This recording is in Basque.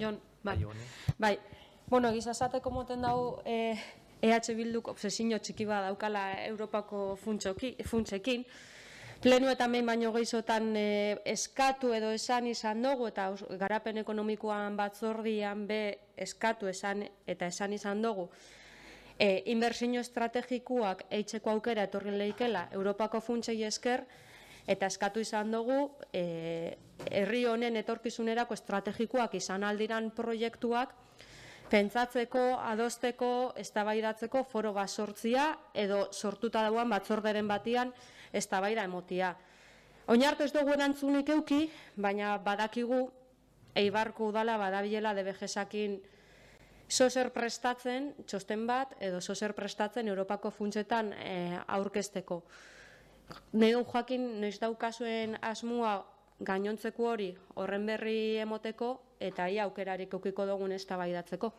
Jon, bai. Bueno, gizasateko moten dau EH Bilduk obsesio txiki bat daukala Europako funtsekin. Plenu eta behin baino gehizotan eskatu edo esan izan dugu, eta garapen ekonomikoan batzordian eskatu esan izan dugu, inbertsio estrategikoak eitzeko aukera etorri leikela Europako funtsei esker, eta eskatu izan dugu herri honen etorkizunerako estrategikoak izan aldiran proiektuak pentsatzeko, adosteko, eztabaidatzeko foro bat sortzia edo sortuta dauan batzorderen batian eztabaida emotia. Oinartu ez dugu erantzunik euki, baina badakigu Eibarko udala badabilela DBG-sakin zozer prestatzen, txosten bat, edo zozer prestatzen Europako funtsetan aurkezteko. Neu jakin noiz daukazuen asmua gainontzeko hori horren berri emoteko, eta ia aukerarik eukiko dugun eztabaidatzeko.